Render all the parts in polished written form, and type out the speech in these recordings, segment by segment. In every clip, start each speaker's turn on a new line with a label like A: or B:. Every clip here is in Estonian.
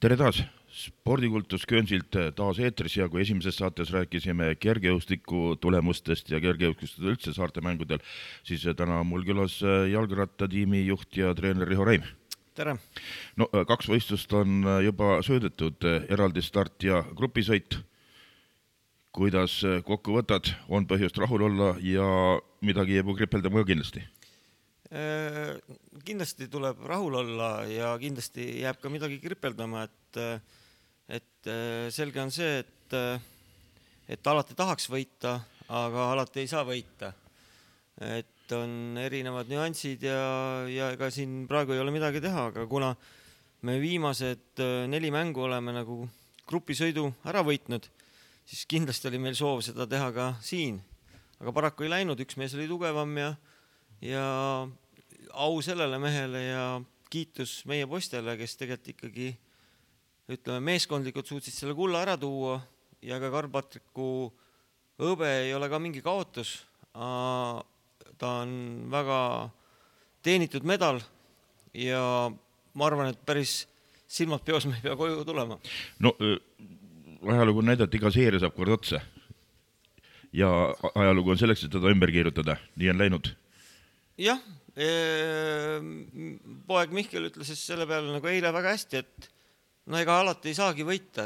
A: Tere taas! Spordikultus Köönsilt taas eetris ja kui esimeses saates rääkisime kergejõustiku tulemustest ja kergejõustikust üldse saarte mängudel, siis täna on mul külas jalgrattatiimi juht ja treener Riho Reim.
B: Tere!
A: No, 2 võistlust on juba söödetud, eraldi start ja grupisõit. Kuidas kokku võtad, on põhjust rahul olla ja midagi jääb kripeldama ka kindlasti?
B: Kindlasti tuleb rahul olla ja kindlasti jääb ka midagi kripeldama, et selge on see, et alati tahaks võita, aga alati ei saa võita. Et on erinevad nüansid ja ega siin praegu ei ole midagi teha, aga kuna me viimased 4 mängu oleme nagu grupisõidu ära võitnud, siis kindlasti oli meil soov seda teha ka siin. Aga paraku ei läinud, üks mees oli tugevam ja au sellele mehele ja kiitus meie poistele, kes tegelikult ikkagi meeskondlikult suutsid selle kulla ära tuua ja ka Karl-Patriku hõbe ei ole ka mingi kaotus. Ta on väga teenitud medal ja ma arvan, et päris silmad peos me ei pea koju tulema.
A: No, ajalugu on näidata, et iga seeria saab kord otsa. Ja ajalugu on selleks, et teda ümber keerutada. Nii on läinud.
B: Jah, poeg Mihkel ütles selle peale nagu eile väga hästi, et ega alati ei saagi võita,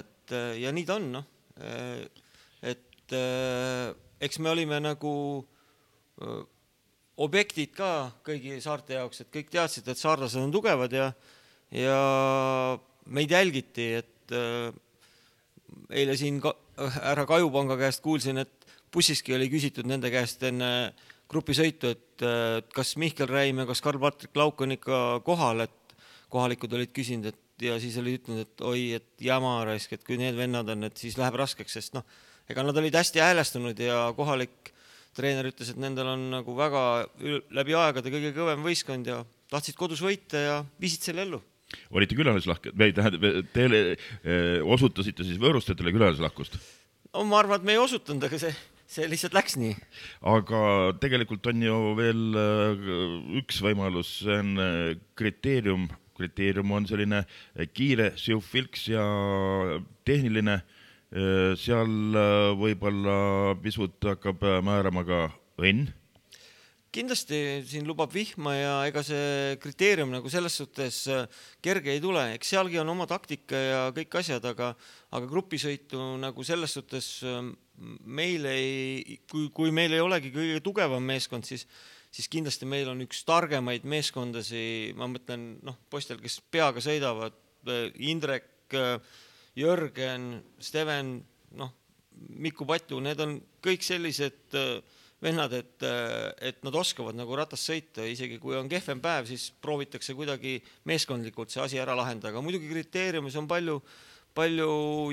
B: ja nii ta on. Et eks me olime nagu objektid ka kõigi saarte jaoks, et kõik teadsid, et saarlased on tugevad ja meid jälgiti, et eile siin härra Kajupanga käest kuulsin, et bussiski oli küsitud nende käest enne grupisõitu, et kas Mihkel Räim ja kas Karl-Patrik Lauk on ikka kohal, et kohalikud olid küsinud, ja siis oli ütlenud, et oi, et jama raisk, et kui need vennad on, et siis läheb raskeks, sest ega nad olid hästi häälestunud ja kohalik treener ütles, et nendel on nagu väga läbi aegade kõige kõvem võistkond ja tahtsid kodus võita ja viisid selle ellu.
A: Olite külalislahked? Teile osutasite siis võõrustajatele külalislahkust?
B: No, ma arvan, et me ei osutanud, aga see lihtsalt läks nii.
A: Aga tegelikult on ju veel üks võimalus, see on kriteerium. Kriteerium on selline kiire, siuv-filks ja tehniline. Seal võib-olla pisut hakkab määrama ka õnn.
B: Kindlasti siin lubab vihma ja ega see kriteerium nagu selles suhtes kerge ei tule. Eks sealgi on oma taktika ja kõik asjad, aga grupisõitu nagu selles suhtes kui meil ei olegi kõige tugevam meeskond, siis kindlasti meil on üks targemaid meeskondasi, ma mõtlen poistel, kes peaga sõidavad, Indrek, Jörgen, Steven, Miku Patu, need on kõik sellised vennad, et nad oskavad nagu ratast sõita, isegi kui on kehvem päev, siis proovitakse kuidagi meeskondlikult see asi ära lahendada, aga muidugi kriteeriumis on palju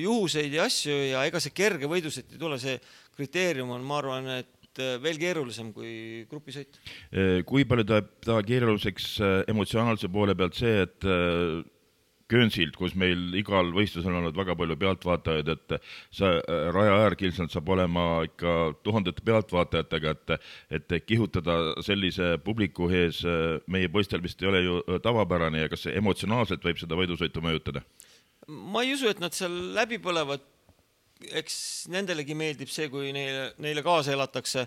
B: juhuseid ja asju ja ega see kerge võidusõit ei tule, see kriteerium on, ma arvan, et veel keerulisem kui grupisõit.
A: Kui palju ta keeruliseks emotsionaalse poole pealt see, et Köönsilt, kus meil igal võistlusel on olnud väga palju pealtvaatajaid, et raja äärkilselt saab olema ikka tuhandete pealtvaatajatega, et kihutada sellise publiku ees meie poistel vist ei ole ju tavapärane ja kas see emotsionaalselt võib seda võidusõitu mõjutada?
B: Ma ei usu, et nad seal läbi põlevad, eks nendelegi meeldib see, kui neile kaasa elatakse,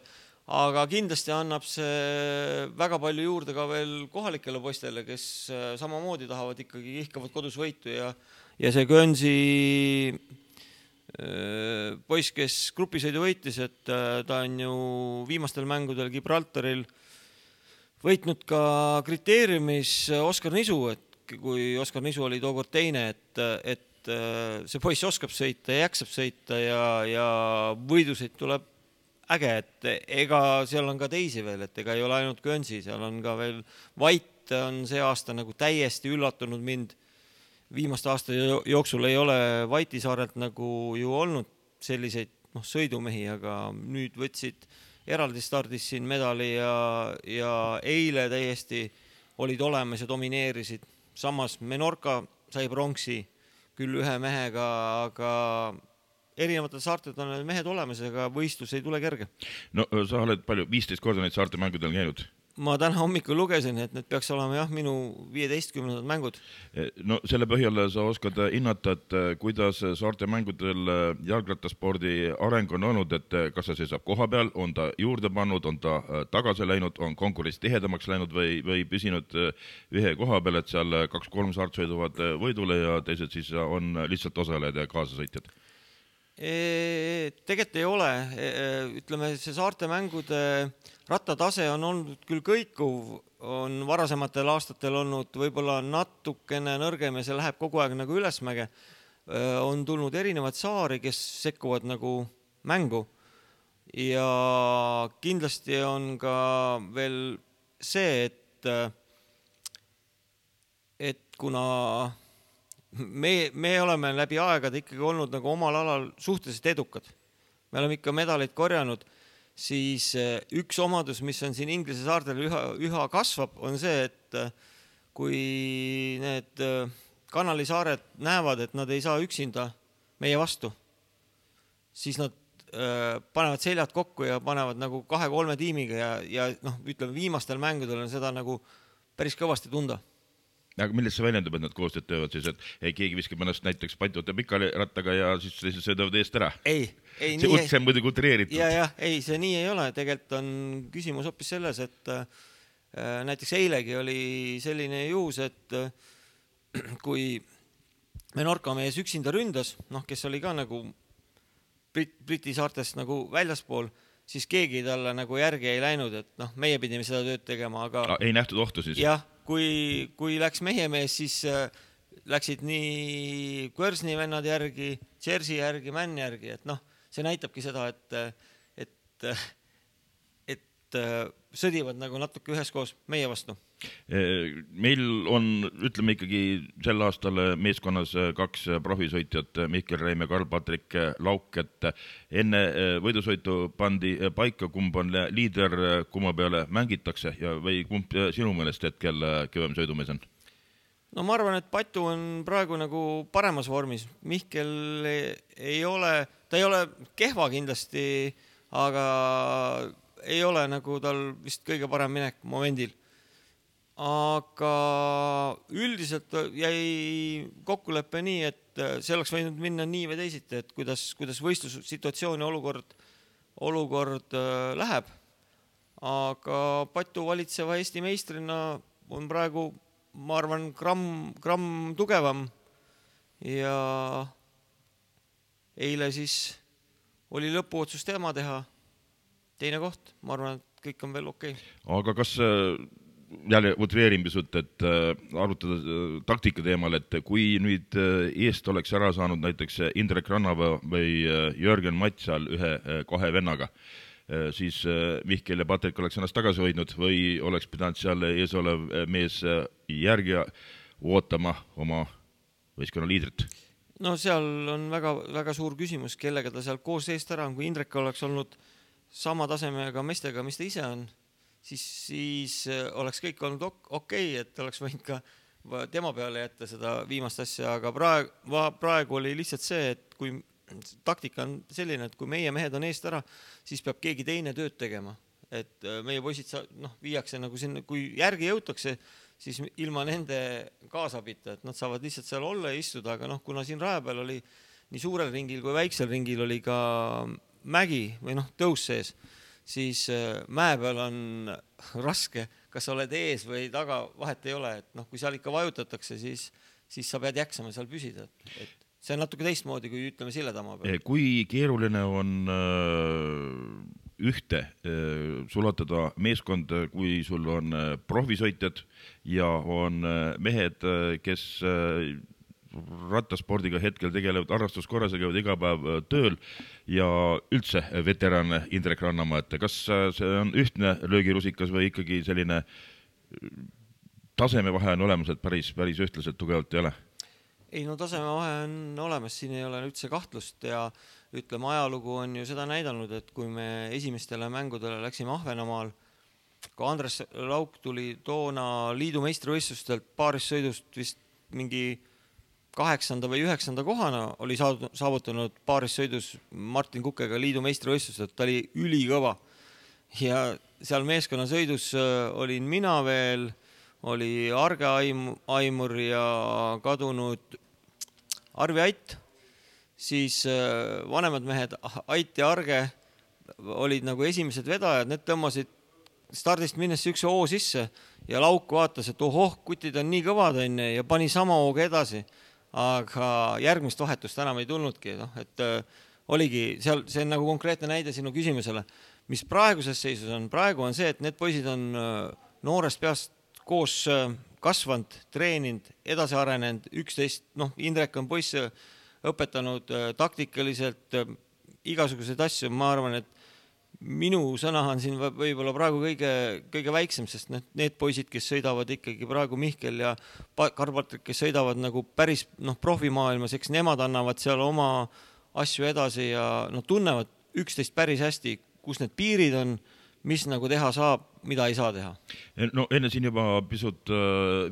B: aga kindlasti annab see väga palju juurde ka veel kohalikele poistele, kes samamoodi tahavad ikkagi ihkavad kodus võitu ja see Köönsi poiss, kes grupisõidu võitis, et ta on ju viimastel mängudel Gibraltaril võitnud ka kriteeriumis Oskar Nisu, et kui Oskar Nisu oli tookord teine, et see poiss oskab sõita ja jaksab sõita ja võidusõit tuleb äge, et ega seal on ka teisi veel, et ega ei ole ainult Köönsi, seal on ka veel Vait on see aasta nagu täiesti üllatunud mind. Viimaste aasta jooksul ei ole Vaiti saarelt nagu ju olnud selliseid sõidumehi, aga nüüd võtsid eraldi stardis siin medali ja eile täiesti olid olemas ja domineerisid. Samas Menorca sai pronksi küll ühe mehega, aga erinevatel saarted on mehed olemas, aga võistlus ei tule kerge.
A: No sa oled palju, 15 korda neid saarte mängudel käinud.
B: ma täna hommikul lugesin, et need peaks olema jah, minu 15. mängud.
A: No selle põhjal sa oskad hinnata, et kuidas saarte mängudel jalgrattaspordi areng on olnud, et kas see seisab koha peal, on ta juurde pannud, on ta tagasi läinud, on konkurents tihedamaks läinud või püsinud ühe koha peal, et seal 2-3 saart sõiduvad võidule ja teised siis on lihtsalt osalejad ja kaasasõitjad?
B: Tegelikult ei ole. Ütleme, see saarte mängude rattatase on olnud küll kõikuv, on varasematel aastatel olnud võib-olla natukene nõrgem ja see läheb kogu aeg nagu ülesmäge. On tulnud erinevad saari, kes sekkuvad nagu mängu ja kindlasti on ka veel see, et kuna me oleme läbi aegade ikkagi olnud nagu omal alal suhteliselt edukad. Me oleme ikka medaleid korjanud, siis üks omadus, mis on siin Inglise saartel üha kasvab, on see, et kui need kanalisaared näevad, et nad ei saa üksinda meie vastu, siis nad panevad seljad kokku ja panevad nagu 2-3 tiimiga ja ütleme, viimastel mängudel on seda nagu päris kõvasti tunda.
A: Aga millest see väljendub, et nad koostööd töövad siis, et keegi viskab ennast näiteks patjuta pikali rattaga ja siis söödavad eest ära?
B: Ei,
A: see on muidugi utreeritud.
B: Ei, see nii ei ole. Tegelikult on küsimus hoopis selles, et näiteks eilegi oli selline juhus, et kui Menorca mees üksinda ründas, kes oli ka nagu Briti saartest nagu väljaspool, siis keegi talle nagu järgi ei läinud, et meie pidime seda tööd tegema, aga...
A: Ei nähtud ohtu siis?
B: Jah, kui läks meie mees, siis läksid nii Quersni vennad järgi, Jersey järgi, Mann järgi, et see näitabki seda, et sõdivad nagu natuke üheskoos meie vastu.
A: Meil on, ütleme ikkagi sel aastal meeskonnas 2 profisõitjat, Mihkel Reim ja Karl-Patrik Lauk, et enne võidusõitu pandi paika, kumb on liider, kumma peale mängitakse või kumb sinu meelest hetkel kõvem sõidumees on?
B: No ma arvan, et Patu on praegu nagu paremas vormis. Mihkel ei ole kehva kindlasti, aga ei ole nagu tal vist kõige parem minek momendil. Aga üldiselt jäi kokkuleppe nii, et see oleks võinud minna nii või teisiti, et kuidas võistlussituatsioon ja olukord läheb. Aga Patu valitseva Eesti meistrina on praegu, ma arvan, gramm tugevam ja eile siis oli lõpuotsus tema teha. Teine koht, ma arvan, et kõik on veel okei.
A: Aga kas jälle utreerin pisut, et arutada taktika teemal, et kui nüüd eest oleks ära saanud näiteks Indrek Rannava või Jörgen Matsal 1-2 vennaga, siis Mihkel ja Patrik oleks ennast tagasi hoidnud või oleks pidanud seal ees olev mees järgi ootama oma võistkonna liidrit?
B: No seal on väga, väga suur küsimus, kellega ta seal koos eest ära on. Kui Indrek oleks olnud sama tasemega meestega, mis ta ise on, siis oleks kõik olnud okei, et oleks võinud ka tema peale jätta seda viimast asja, aga praegu oli lihtsalt see, et kui taktika on selline, et kui meie mehed on eest ära, siis peab keegi teine tööd tegema. Et meie poisid viiakse nagu sinna, kui järgi jõutakse, siis ilma nende kaasabita, et nad saavad lihtsalt seal olla ja istuda, aga kuna siin raja peal oli nii suurel ringil kui väiksel ringil oli ka mägi või tõus sees, siis mäe peal on raske, kas oled ees või taga, vahet ei ole, et kui seal ikka vajutatakse, siis sa pead jaksama seal püsida. Et see on natuke teistmoodi, kui ütleme Silledamaa peal.
A: Kui keeruline on ühte sulatada meeskond, kui sul on profisõitjad ja on mehed, kes rattaspordiga hetkel tegelevad harrastuskorras ja käivad iga päev tööl ja üldse veteran Indrek Rannamaa, et kas see on ühtne löögirusikas või ikkagi selline tasemevahe on olemas, et päris ühtlaselt tugevalt ei ole?
B: Ei, tasemevahe on olemas, siin ei ole üldse kahtlust ja ütleme, ajalugu on ju seda näidanud, et kui me esimestele mängudele läksime Ahvenamaal, kui Andres Lauk tuli toona liidu meistrivõistlustelt paarissõidust vist mingi 8. või 9. kohana oli saavutanud paarissõidus Martin Kukega liidu meistrivõistlused, ta oli ülikõva ja seal meeskonnasõidus olin mina veel, oli Arge Aimur ja kadunud Arvi Ait, siis vanemad mehed Ait ja Arge olid nagu esimesed vedajad, need tõmbasid stardist minnes üks O sisse ja Lauk vaatas, et kutid on nii kõvad enne ja pani sama hooga edasi, aga järgmist vahetust enam ei tulnudki, et oligi seal, see on nagu konkreetne näide sinu küsimusele, mis praeguses seisus on. Praegu on see, et need poisid on noorest peast koos kasvanud, treeninud, edasi arenenud, 11, Indrek on poiss õpetanud taktikaliselt igasuguseid asju. Ma arvan, et minu sõna on siin võib-olla praegu kõige väiksem, sest need poisid, kes sõidavad ikkagi praegu Mihkel ja Karl-Patrik, kes sõidavad nagu päris profimaailmas, eks nemad annavad seal oma asju edasi ja tunnevad üksteist päris hästi, kus need piirid on, mis nagu teha saab, mida ei saa teha.
A: No enne siin juba pisut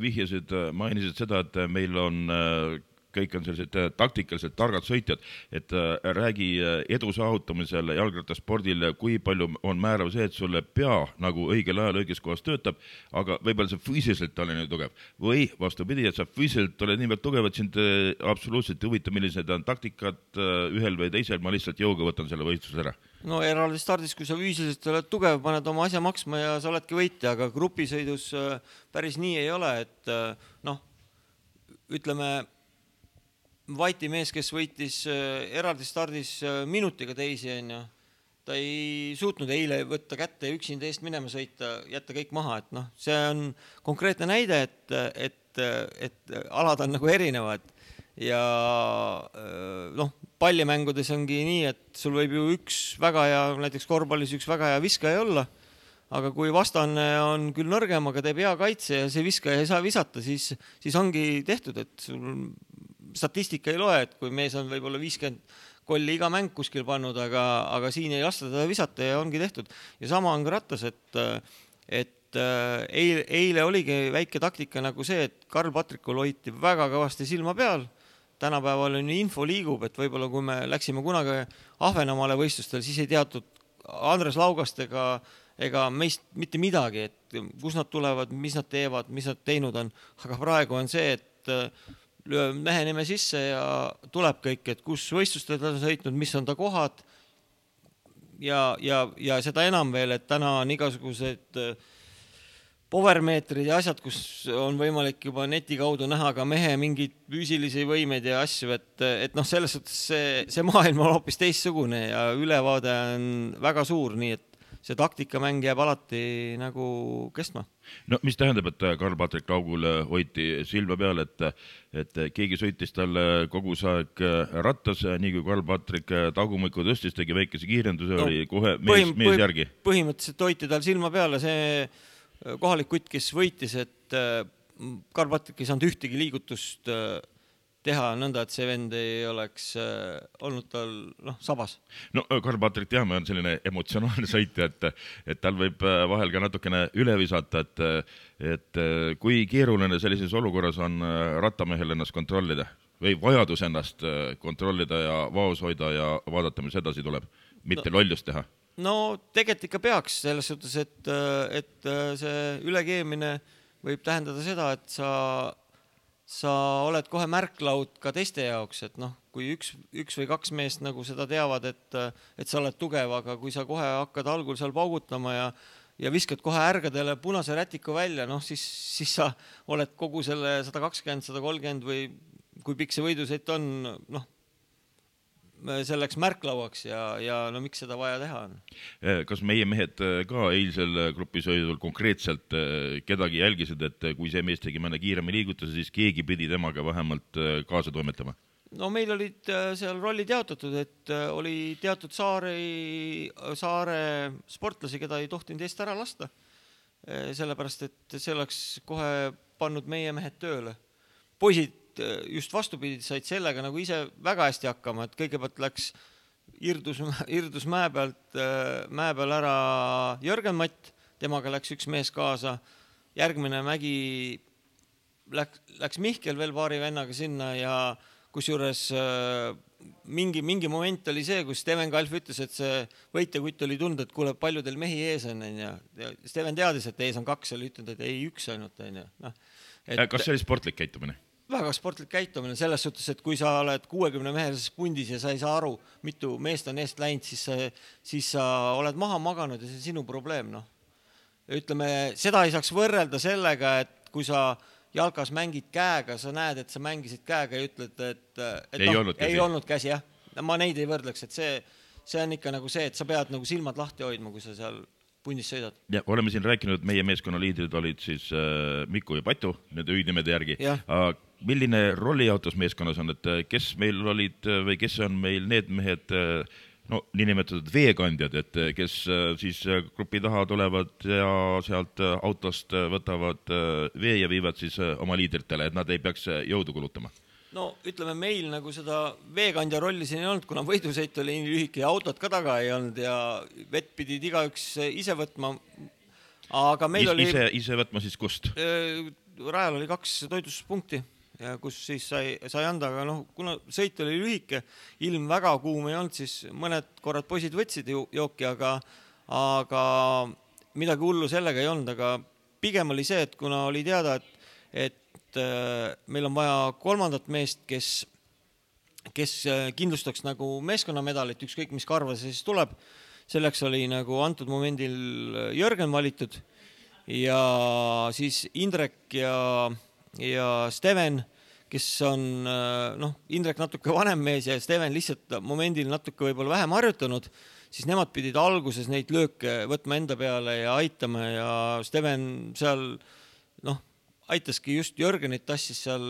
A: vihjasid, mainisid seda, et meil on kõik on sellised taktikaliselt targad sõitjad, et räägi edu saavutamisel jalgrattaspordil, kui palju on määrav see, et sulle pea nagu õigel ajal õiges kohas töötab, aga võib-olla sa füüsiliselt oled nii tugev. Või vastupidi, et sa füüsiliselt oled niivõrd tugev, et sind absoluutselt huvita, millised on taktikad ühel või teisel, ma lihtsalt jõuga võtan selle võistluse ära.
B: No eraldi stardis, kui sa füüsiliselt oled tugev, paned oma asja maksma ja sa oledki võitja, aga grupisõidus päris nii ei ole, et ütleme, Vaiti mees, kes võitis eraldi stardis minutiga teisi, ta ei suutnud eile võtta kätte ja üksinda eest minema sõita, jätta kõik maha, et see on konkreetne näide, et alad on nagu erinevad ja pallimängudes ongi nii, et sul võib ju üks väga hea, näiteks korvpallis üks väga hea viskaja olla, aga kui vastane on küll nõrgem, aga teeb hea kaitse ja see viskaja ei saa visata, siis ongi tehtud, et sul statistika ei loe, et kui mees on võib-olla 50 kolli iga mäng kuskil pannud, aga siin ei lasta teda visata ja ongi tehtud. Ja sama on ka rattas, et eile oligi väike taktika nagu see, et Karl-Patrikul hoiti väga kõvasti silma peal. Tänapäeval on info liigub, et võib-olla kui me läksime kunagi Ahvenamaale võistlustel, siis ei teatud Andres Laugast ega meist mitte midagi, et kus nad tulevad, mis nad teevad, mis nad teinud on. Aga praegu on see, et löö mehe nime sisse ja tuleb kõik, et kus võistlustel ta on sõitnud, mis on ta kohad ja seda enam veel, et täna on igasugused powermeetrid ja asjad, kus on võimalik juba neti kaudu näha ka mehe mingid füüsilisi võimeid ja asju, et selles suhtes see maailm on hoopis teistsugune ja ülevaade on väga suur, nii et see taktikamäng jääb alati nagu kestma.
A: No mis tähendab, et Karl-Patrik Laugul hoiti silma peal, et keegi sõitis talle kogu aeg rattas, nii kui Karl-Patrik tagumikku tõstis, tegi väikese kiirenduse, oli kohe mees järgi.
B: Põhimõtteliselt hoiti tal silma peale see kohalik kutt, kes võitis, et Karl-Patrik ei saanud ühtegi liigutust teha nõnda, et see vend ei oleks olnud tal sabas.
A: No Karl-Patrik teame on selline emotsionaalne sõitja, et tal võib vahel ka natukene üle visata, et kui keeruline sellises olukorras on rattamehel ennast kontrollida või vajadus ennast kontrollida ja vaos hoida ja vaadata, mis edasi tuleb, mitte lollust teha.
B: No tegelikult ikka peaks selles suhtes, et see ülekeemine võib tähendada seda, et sa oled kohe märklaud ka teiste jaoks, et kui üks või kaks meest nagu seda teavad, et sa oled tugev, aga kui sa kohe hakkad algul seal paugutama ja viskad kohe ärgadele punase rätiku välja, siis sa oled kogu selle 120, 130 või kui pikk see võidusõit on, selleks märklauaks ja miks seda vaja teha on?
A: Kas meie mehed ka eilsel grupisõidul konkreetselt kedagi jälgisid, et kui see mees tegi mõne kiirema liigutuse, siis keegi pidi temaga vähemalt kaasa toimetama?
B: No meil olid seal rollid jaotatud, et oli teatud saare sportlasi, keda ei tohtinud eest ära lasta. Sellepärast, et see oleks kohe pannud meie mehed tööle. Poisid just vastupidi said sellega nagu ise väga hästi hakkama, et kõigepealt läks Irdus mäe peal ära Jörgen Matt, temaga läks üks mees kaasa, järgmine mägi läks Mihkel veel paari vennaga sinna ja kusjuures mingi moment oli see, kus Steven Kalf ütles, et see võitjakutt oli tunda, et kuule, palju teil mehi ees on, ja Steven teadis, et ees on 2, oli ütelnud, et ei 1 ainult, no.
A: Kas see oli sportlik käitumine?
B: Väga sportlik käitumine selles suhtes, et kui sa oled 60 mehelises pundis ja sa ei saa aru, mitu meest on eest läinud, siis sa oled maha maganud ja see on sinu probleem, noh. Ütleme, seda ei saaks võrrelda sellega, et kui sa jalkas mängid käega, sa näed, et sa mängisid käega ja ütled, et ei olnud käsi, jah. Ma neid ei võrdleks, et see on ikka nagu see, et sa pead nagu silmad lahti hoidma, kui sa seal pundis sõidad.
A: Ja oleme siin rääkinud, et meie meeskonna liidrid olid siis Miku ja Patu, nende hüüdnimede järgi. Milline rollijaotus meeskonnas on, et kes meil olid või kes on meil need mehed, no niinimetatud veekandjad, et kes siis grupi taha tulevad ja sealt autost võtavad vee ja viivad siis oma liidritele, et nad ei peaks jõudu kulutama?
B: No ütleme, meil nagu seda veekandja rolli siin ei olnud, kuna võidusõit oli nii lühike ja autot ka taga ei olnud ja vett pidid igaüks ise võtma. Aga meil oli...
A: Ise võtma siis kust?
B: Rajal oli 2 toitlustuspunkti, kus siis sai anda, aga kuna sõit oli lühike, ilm väga kuum ei olnud, siis mõned korrad poisid võtsid jooki, aga midagi hullu sellega ei olnud, aga pigem oli see, et kuna oli teada, et meil on vaja 3. meest, kes kindlustaks nagu meeskonnamedalit, ükskõik mis karva see siis tuleb, selleks oli nagu antud momendil Jörgen valitud ja siis Indrek ja Steven, kes on, Indrek natuke vanem mees ja Steven lihtsalt momendil natuke võib-olla vähem harjutanud, siis nemad pidid alguses neid lööke võtma enda peale ja aitama ja Steven seal, aitaski just Jörgenit tassis seal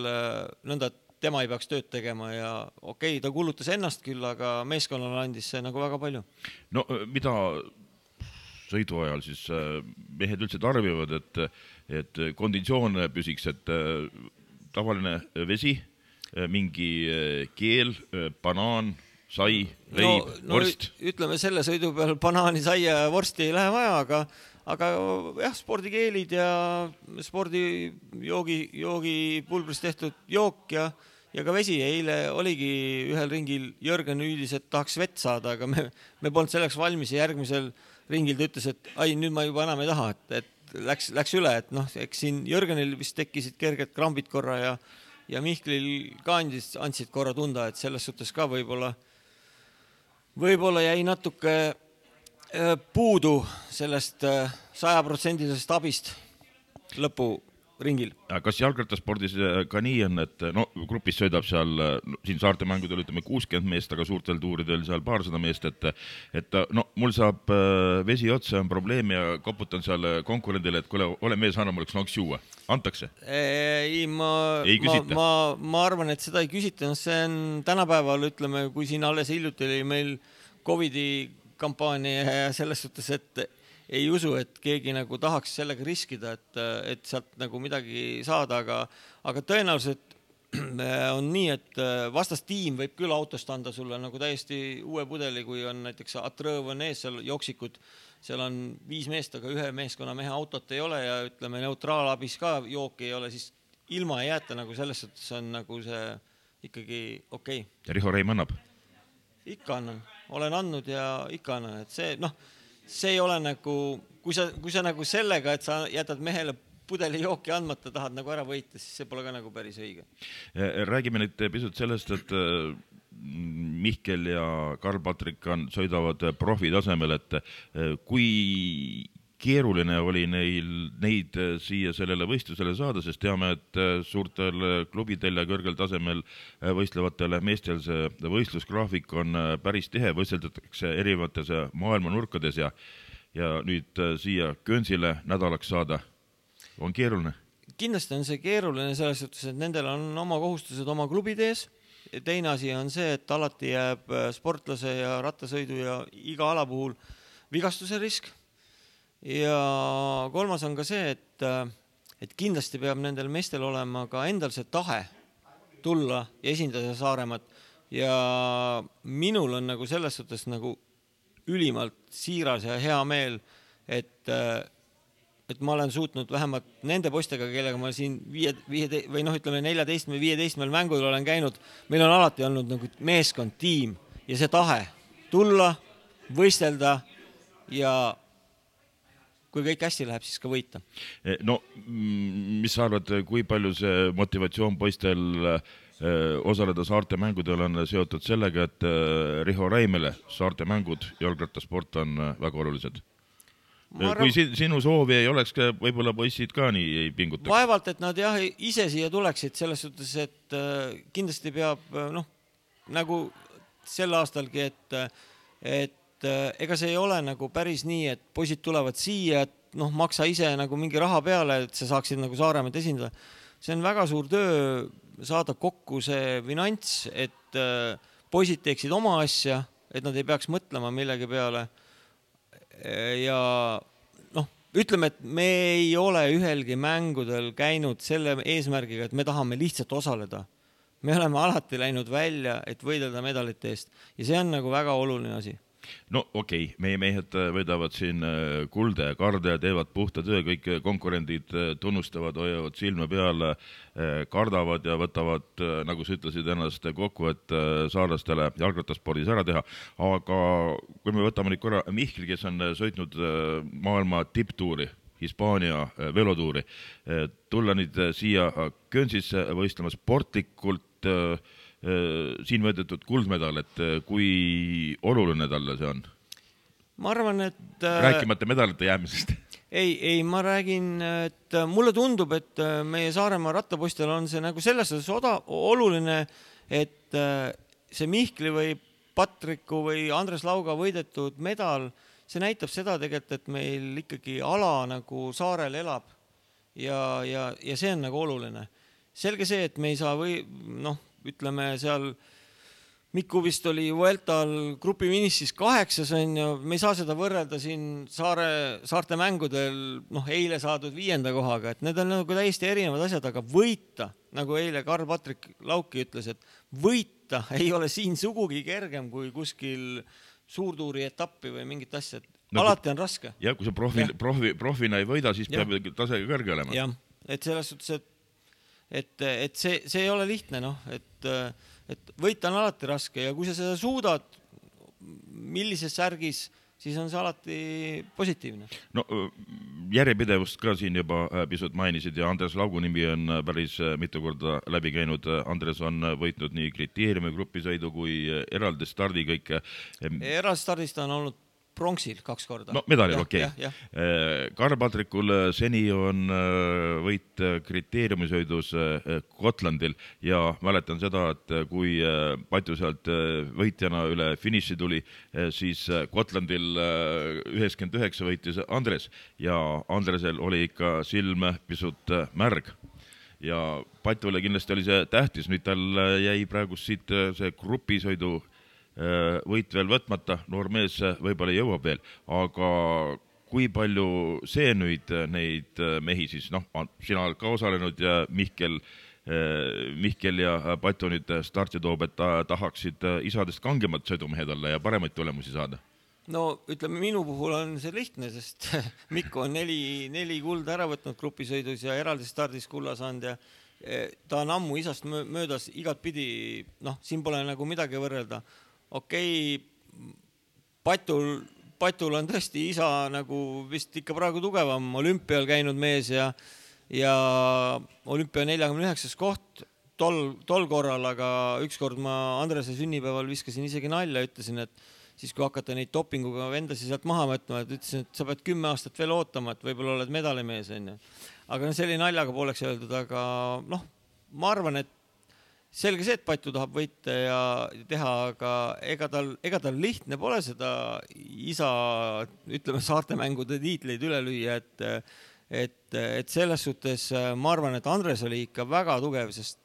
B: nõnda, et tema ei peaks tööd tegema ja okei, ta kulutas ennast küll, aga meeskonnale andis see nagu väga palju.
A: No mida sõidu ajal siis mehed üldse tarbivad, et konditsioon püsiks, et tavaline vesi, mingi keel, banaan, sai, leib, vorst?
B: Ütleme, selle sõidu peal banaani, sai ja vorsti ei lähe vaja, aga jah, spordikeelid ja spordijoogi-pulbrist tehtud jook ja ka vesi. Eile oligi ühel ringil Jörgen hüüdis, et tahaks vett saada, aga me polnud selleks valmis ja järgmisel ringil ta ütles, et nüüd ma juba enam ei taha, et läks üle, et eks siin Jörgenil vist tekkisid kerged krambid korra ja Mihklil ka andsid korra tunda, et selles suhtes ka võib-olla jäi natuke puudu sellest 100% abist lõpuringil.
A: Kas jalgrattaspordis ka nii on, et grupis sõidab seal, siin saarte mängudel ütleme 60 meest, aga suurtel tuuridel seal paarsada meest, et mul saab vesi otsa, on probleem ja koputan seal konkurendile, et kuule, ole mees, anna mulle üks juua. Antakse?
B: Ei küsita? Ma arvan, et seda ei küsita. See on tänapäeval, ütleme, kui siin alles hiljuti oli meil Covidi kampaania ja selles suhtes, et ei usu, et keegi nagu tahaks sellega riskida, et sealt nagu midagi saada, aga tõenäoliselt on nii, et vastastiim võib küll autost anda sulle nagu täiesti uue pudeli, kui on näiteks Atrõõv on ees, seal joksikud, seal on 5 meest, aga 1 meeskonna mehe autot ei ole ja ütleme neutraalabis ka jook ei ole, siis ilma ei jäeta nagu selles suhtes on nagu see ikkagi okei.
A: Ja Riho Reim annab?
B: Ikka annan, olen andnud ja ikka annan, et see ei ole nagu, kui sa nagu sellega, et sa jätad mehele pudeli jooki andmata, tahad nagu ära võita, siis see pole ka nagu päris õige.
A: Räägime nüüd pisut sellest, et Mihkel ja Karl-Patrik sõidavad profi tasemel, et kui keeruline oli neid siia sellele võistlusele saada, sest teame, et suurtel klubidel ja kõrgel tasemel võistlevatel meestel see võistlusgraafik on päris tihe, võisteldatakse erinevates maailma nurkades ja nüüd siia Könsile nädalaks saada on keeruline.
B: Kindlasti on see keeruline selles suhtes, et nendel on oma kohustused oma klubide ees. Teine asi on see, et alati jääb sportlase ja rattasõidu ja iga ala puhul vigastuse risk. Ja kolmas on ka see, et kindlasti peab nendel meestel olema ka endal see tahe tulla ja esindada Saaremaad. Ja minul on nagu selles suhtes nagu ülimalt siiras ja hea meel, et et ma olen suutnud vähemalt nende poistega, kellega ma siin 14 või 15 mängudel olen käinud, meil on alati olnud nagu meeskond, tiim ja see tahe tulla, võistelda ja kui kõik hästi läheb, siis ka võita.
A: No, mis sa arvad, kui palju see motivatsioon poistel osaleda saarte mängudel on seotud sellega, et Riho Räimele saarte mängud, jalgrattasport on väga olulised? Kui sinu soovi ei oleks, võib-olla poissid ka nii ei pingutaks?
B: Vaevalt, et nad jah, ise siia tuleksid selles suhtes, et kindlasti peab, nagu sel aastalgi, et ega see ei ole nagu päris nii, et poisid tulevad siia, et maksa ise nagu mingi raha peale, et sa saaksid nagu Saaremaad esindada. See on väga suur töö saada kokku see finants, et poisid teeksid oma asja, et nad ei peaks mõtlema millegi peale. Ja ütleme, et me ei ole ühelgi mängudel käinud selle eesmärgiga, et me tahame lihtsalt osaleda. Me oleme alati läinud välja, et võidelda medalite eest ja see on nagu väga oluline asi.
A: No okei, meie mehed võidavad siin kulda ja karda ja teevad puhta töö, kõik konkurendid tunnustavad, hoiavad silme peale, kardavad ja võtavad, nagu sa ütlesid ennast kokku, et saarlastele jalgrattaspordis ära teha. Aga kui me võtame nüüd korra Mihkli, kes on sõitnud maailma tipptuuri, Hispaania velotuuri, tulla nüüd siia Guernseysse võistlema sportlikult siin võedetud kuldmedal, et kui oluline talle see on?
B: Ma arvan, et
A: rääkimata medalite jäämisest.
B: Ei, ma räägin, et mulle tundub, et meie Saaremaa rattapoistel on see nagu selles oluline, et see Mihkli või Patriku või Andres Lauga võidetud medal, see näitab seda tegelikult, et meil ikkagi ala nagu saarel elab ja see on nagu oluline. Selge see, et me ei saa ütleme seal Miku vist oli Vueltal grupi finissis 8, me ei saa seda võrrelda siin saarte mängudel eile saadud 5. kohaga, et need on nagu täiesti erinevad asjad, aga võita, nagu eile Karl-Patrik Lauki ütles, et võita ei ole siin sugugi kergem kui kuskil suurtuuri etappi või mingit asja, alati on raske.
A: Ja kui sa profina ei võida, siis peab tasega kõrge olema.
B: Jah, et selles suhtes, et see ei ole lihtne, et võita on alati raske ja kui sa seda suudad millises särgis, siis on see alati positiivne.
A: No järjepidevust ka siin juba pisut mainisid ja Andres Laugu nimi on päris mitu korda läbi käinud. Andres on võitnud nii kriteeriumi grupisõidu kui eraldi stardi kõike.
B: Eraldi stardist on olnud pronksil 2 korda.
A: No medalil, okei. Karl-Patrikul seni on võit kriteeriumisõidus Gotlandil ja mäletan seda, et kui Patju sealt võitjana üle finiši tuli, siis Gotlandil 99 võitis Andres ja Andresel oli ikka silm pisut märg. Ja Patjule kindlasti oli see tähtis, nüüd tal jäi praegu siit see grupisõidu võit veel võtmata, noor mees võib-olla jõuab veel, aga kui palju see nüüd neid mehi siis, sina oled ka osalenud ja Mihkel ja Patju nüüd starti toob, et tahaksid isadest kangemad sõidumehed olla ja paremaid tulemusi saada?
B: No ütleme, minu puhul on see lihtne, sest Mikko on 4 kulda ära võtnud grupisõidus ja eraldi stardis kulla saanud ja ta on ammu isast möödas igat pidi, siin pole nagu midagi võrrelda. Okei, Patul on tõesti isa nagu vist ikka praegu tugevam, olümpial käinud mees ja olümpia 49. koht tol korral, aga ükskord ma Andrese sünnipäeval viskasin isegi nalja, ütlesin, et siis kui hakata neid dopinguga vendasi sealt maha võtma, et ütlesin, et sa pead 10 aastat veel ootama, et võib-olla oled medalimees. Aga selline naljaga pooleks öeldud, aga ma arvan, et selge see, et Patju tahab võita ja teha, aga ega tal lihtne pole seda isa, ütleme, saartemängude tiitleid üle lüüa, et selles suhtes ma arvan, et Andres oli ikka väga tugev, sest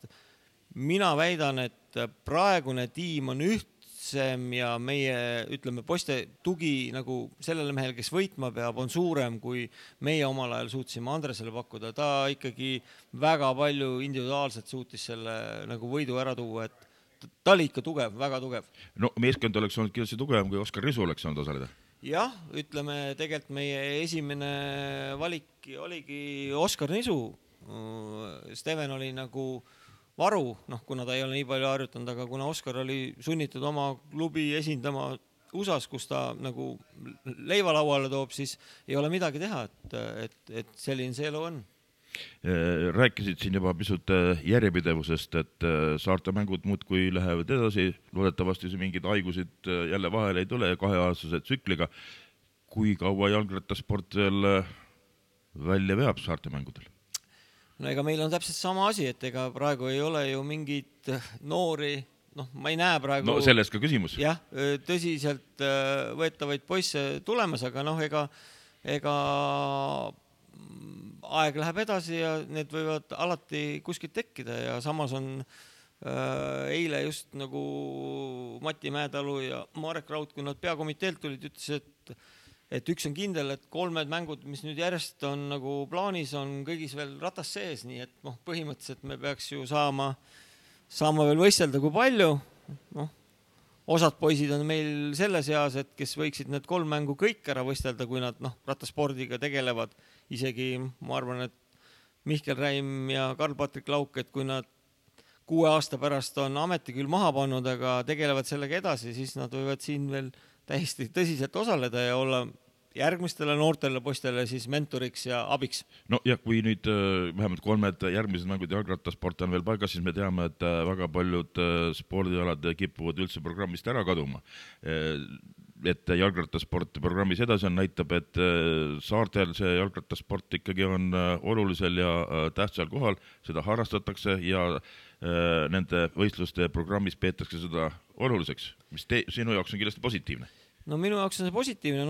B: mina väidan, et praegune tiim on ühtsem ja meie, ütleme, poiste tugi nagu sellele mehel, kes võitma peab, on suurem, kui meie omal ajal suutsime Andresele pakkuda. Ta ikkagi väga palju individuaalselt suutis selle nagu võidu ära tuua, et ta oli ikka tugev, väga tugev.
A: No meeskond oleks olnud kindlasti tugevam, kui Oskar Risu oleks saanud osaleda.
B: jah, ütleme tegelikult meie esimene valik oligi Oskar Nisu. Steven oli nagu varu, kuna ta ei ole nii palju harjutanud, aga kuna Oskar oli sunnitud oma klubi esindama USA-s, kus ta nagu leivalauale toob, siis ei ole midagi teha, et selline see elu on.
A: Rääkisid siin juba pisut järjepidevusest, et saarte mängud muudkui lähevad edasi, loodetavasti mingid haigusid jälle vahele ei tule 2-aastase tsükliga. Kui kaua jalgrattasport veel välja veab saarte mängudel?
B: No ega meil on täpselt sama asi, et ega praegu ei ole ju mingid noori, ma ei näe praegu...
A: No sellest ka küsimus.
B: Jah, tõsiselt võetavaid poisse tulemas, aga ega aeg läheb edasi ja need võivad alati kuskilt tekkida ja samas on eile just nagu Mati Mäetalu ja Marek Raud, kui nad peakomiteelt tulid, ütles, et üks on kindel, et 3 mängud, mis nüüd järjest on nagu plaanis, on kõigis veel ratas sees, nii et põhimõtteliselt me peaks ju saama veel võistelda kui palju. Osad poisid on meil selles eas, et kes võiksid need 3 mängu kõik ära võistelda, kui nad rattaspordiga tegelevad. Isegi ma arvan, et Mihkel Räim ja Karl-Patrik Lauk, et kui nad 6 aasta pärast on ameti küll maha pannud, aga tegelevad sellega edasi, siis nad võivad siin veel täiesti tõsiselt osaleda ja olla järgmistele noortele poistele siis mentoriks ja abiks.
A: No ja kui nüüd vähemalt 3 järgmised mängud jalgrattasport on veel paigas, siis me teame, et väga paljud spordialad kipuvad üldse programmist ära kaduma. Et jalgrattasport programmis edasi on, näitab, et saartel see jalgrattasport ikkagi on olulisel ja tähtsal kohal, seda harrastatakse ja nende võistluste programmis peetakse seda oluliseks, mis sinu jaoks on kindlasti positiivne.
B: No minu jaoks on see positiivne,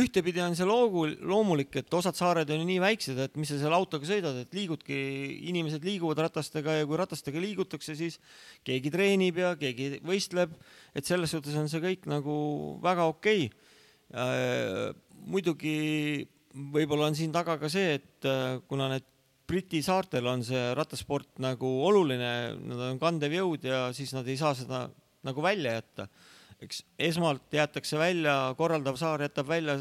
B: ühtepidi on see loomulik, et osad saared on nii väiksed, et mis sa seal autoga sõidad, et inimesed liiguvad ratastega ja kui ratastega liigutakse, siis keegi treenib ja keegi võistleb, et selles suhtes on see kõik nagu väga okei. Muidugi võib-olla on siin taga ka see, et kuna need Briti saartel on see rattasport nagu oluline, nad on kandev jõud ja siis nad ei saa seda nagu välja jätta. Eks esmalt jäetakse välja, korraldav saar jätab välja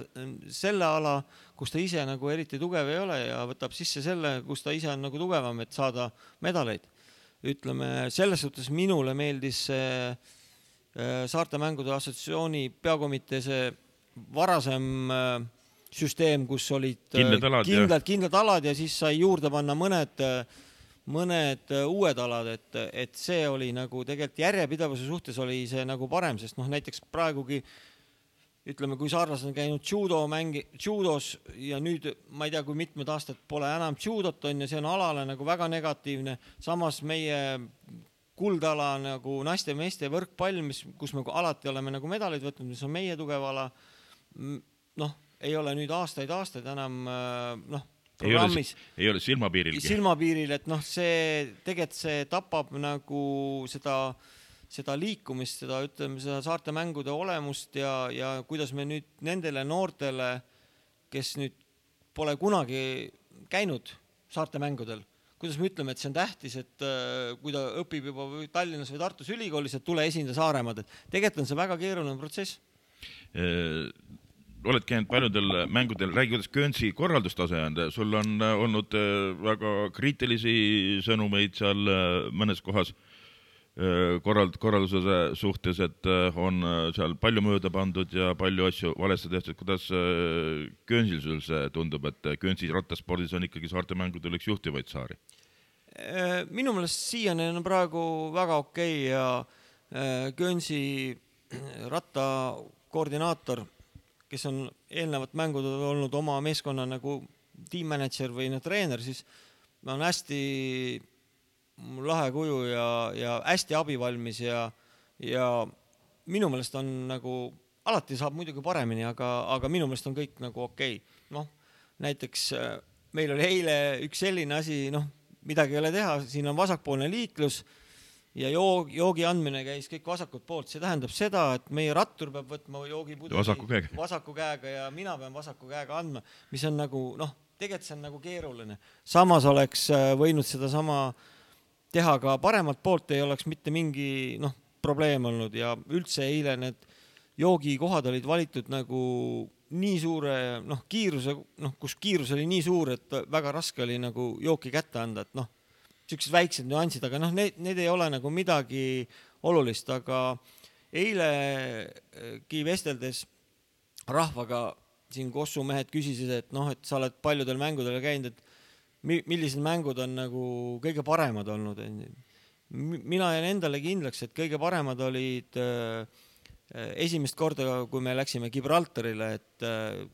B: selle ala, kus ta ise nagu eriti tugev ei ole ja võtab sisse selle, kus ta ise on nagu tugevam, et saada medaleid. Ütleme, selles suhtes minule meeldis Saarte mängude assotsiatsiooni peakomitee see varasem süsteem, kus olid kindlad alad ja siis sai juurde panna mõned uued alad, et see oli nagu tegelikult järjepidevuse suhtes oli see nagu parem, sest näiteks praegugi ütleme, kui saarlased on käinud judos ja nüüd ma ei tea, kui mitmed aastad pole enam judot on ja see on alale nagu väga negatiivne, samas meie kuldala nagu naiste meeste võrkpall, kus me alati oleme nagu medaleid võtnud, mis on meie tugev ala, ei ole nüüd aastaid enam programmis.
A: Ei ole silmapiiril,
B: et tegelikult see tapab nagu seda liikumist, seda saarte mängude olemust ja kuidas me nüüd nendele noortele, kes nüüd pole kunagi käinud saarte mängudel, kuidas me ütleme, et see on tähtis, et kui ta õpib juba Tallinnas või Tartus ülikoolis, et tule esinda Saaremaad, et tegelikult on see väga keeruline protsess.
A: Oled käinud paljudel mängudel, räägi, kuidas Guernsey korraldustase on, sul on olnud väga kriitilisi sõnumeid seal mõnes kohas korralduse suhtes, et on seal palju mööda pandud ja palju asju valesti tehtud. Kuidas Guernseyl sul see tundub, et Guernsey rattaspordis on ikkagi saarte mängudel üks juhtivaid saari?
B: Minu meelest siiani on praegu väga okei ja Guernsey rattakoordinaator, kes on eelnevat mängud olnud oma meeskonna nagu tiimmanager või treener, siis on hästi lahe kuju ja hästi abivalmis ja minu meelest on nagu, alati saab muidugi paremini, aga minu meelest on kõik nagu okei. Näiteks meil oli eile üks selline asi, midagi ei ole teha, siin on vasakpoolne liiklus ja joogi andmine käis kõik vasakult poolt. See tähendab seda, et meie rattur peab võtma joogipudeli vasaku käega ja mina pean vasaku käega andma, mis on nagu, tegelikult see on nagu keeruline. Samas oleks võinud seda sama teha ka paremat poolt, ei oleks mitte mingi probleem olnud ja üldse eile need joogikohad olid valitud nagu nii suure kiiruse, kus kiirus oli nii suur, et väga raske oli nagu jooki kätte anda, et siuksed väiksed nüansid, aga need ei ole nagu midagi olulist, aga eilegi vesteldes rahvaga siin Kossu mehed küsisid, et et sa oled paljudel mängudel käinud, et millised mängud on nagu kõige paremad olnud. Mina jään endale kindlaks, et kõige paremad olid esimest korda, kui me läksime Gibraltarile, et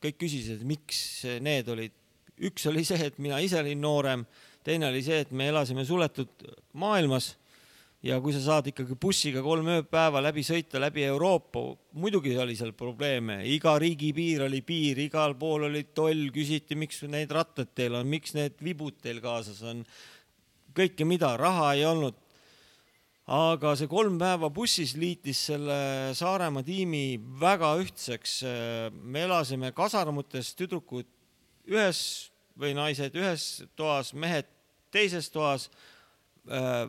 B: kõik küsisid, miks need olid. Üks oli see, et mina ise olin noorem, teine oli see, et me elasime suletud maailmas ja kui sa saad ikkagi bussiga 3 ööpäeva läbi sõita läbi Euroopa, muidugi oli seal probleeme, iga riigi piir oli piir, igal pool oli toll, küsiti, miks need rattad teil on, miks need vibud teil kaasas on, kõike mida, raha ei olnud. Aga see 3 päeva bussis liitis selle Saaremaa tiimi väga ühtseks. Me elasime kasarmutes, tüdrukud ühes või naised ühes toas, mehed teises toas,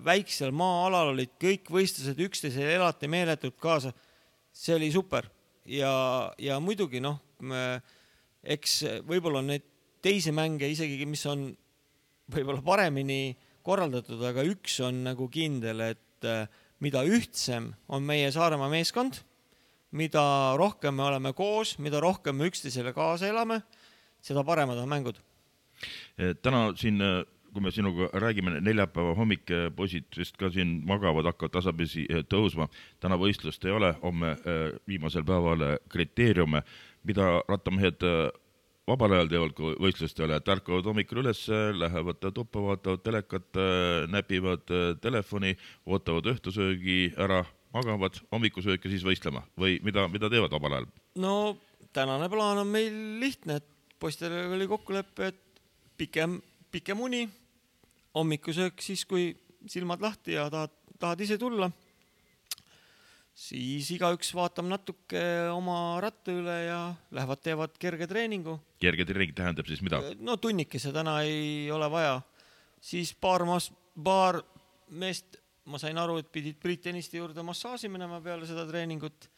B: väiksel maa-alal olid kõik võistlused, üksteisele elati meeletult kaasa. See oli super. Ja muidugi, eks võib-olla on neid teisi mänge isegi, mis on võib-olla paremini korraldatud, aga üks on nagu kindel, et mida ühtsem on meie Saaremaa meeskond, mida rohkem me oleme koos, mida rohkem me üksteisele kaasa elame, seda paremad on mängud.
A: Täna siin, kui me sinuga räägime, neljapäeva hommik poisid vist ka siin magavad, hakkavad tasapisi tõusma. Täna võistlust ei ole, homme viimasel päeval kriteeriume, mida rattamehed vabal ajal teevad, kui võistlust ei ole, et ärkavad hommikul üles, lähevad tuppa, vaatavad telekat, näpivad telefoni, ootavad õhtusöögi ära, magavad hommikusööki siis võistlema või mida teevad vabal ajal?
B: No tänane plaan on meil lihtne, et poistele oli kokkulepe, et pikem uni, hommikusöök siis, kui silmad lahti ja tahad ise tulla, siis igaüks vaatab natuke oma ratta üle ja lähevad, teevad kerge treeningu.
A: Kerge treening tähendab siis mida?
B: No tunnikese täna ei ole vaja. Siis paar meest, ma sain aru, et pidid Priit Tõniste juurde massaaži minema peale seda treeningut.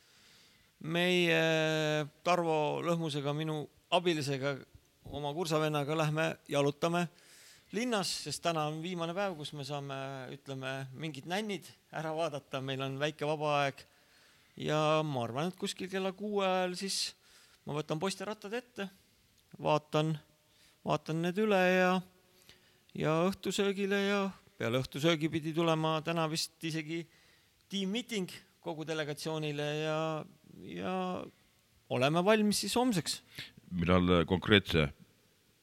B: Meie Tarvo Lõhmusega, minu abilisega, oma kursavennaga lähme jalutame linnas, sest täna on viimane päev, kus me saame, mingid nännid ära vaadata, meil on väike vaba aeg ja ma arvan, et kuskil kella 6 ajal siis ma võtan poiste rattad ette, vaatan need üle ja õhtusöögile ja peale õhtusöögi pidi tulema täna vist isegi tiimmeeting kogu delegatsioonile ja oleme valmis siis homseks.
A: Millal konkreetse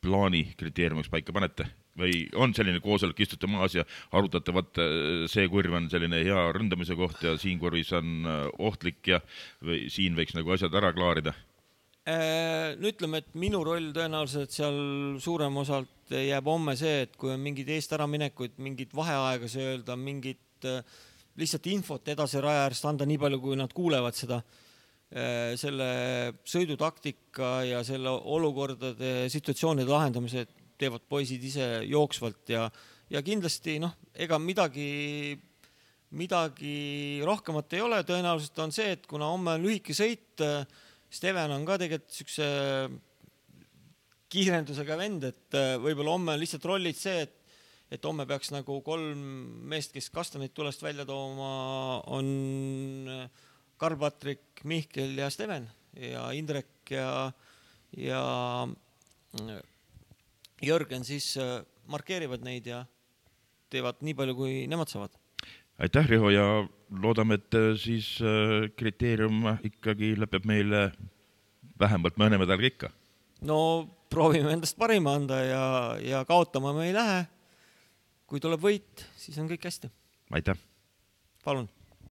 A: plaani kriteeriumiks paika panete? Või on selline koosolek, istute maas ja arutatavat, see kurv on selline hea ründamise koht ja siin kurvis on ohtlik ja või siin võiks nagu asjad ära klaarida?
B: Ütleme, et minu roll tõenäoliselt seal suurem osalt jääb homme see, et kui on mingid eest ära minekuid, mingid vaheaega öelda, mingid lihtsalt infot edasi raja äärest anda nii palju, kui nad kuulevad seda, selle sõidutaktika ja selle olukordade, situatsioonide lahendamise teevad poisid ise jooksvalt ja kindlasti ega midagi rohkemat ei ole. Tõenäoliselt on see, et kuna homme on lühike sõit, Steven on ka tegelikult sükse kiirendusega vend, et võib-olla homme on lihtsalt rollid see, et homme peaks nagu 3 meest, kes kastanid tulest välja tooma, on Karl-Patrik, Mihkel ja Steven ja Indrek ja Jörgen siis markeerivad neid ja teevad nii palju, kui nemad saavad.
A: Aitäh, Riho, ja loodame, et siis kriteerium ikkagi lõpeb meile vähemalt mõne medaliga ikka.
B: No proovime endast parima anda ja kaotama me ei lähe. Kui tuleb võit, siis on kõik hästi.
A: Aitäh.
B: Palun.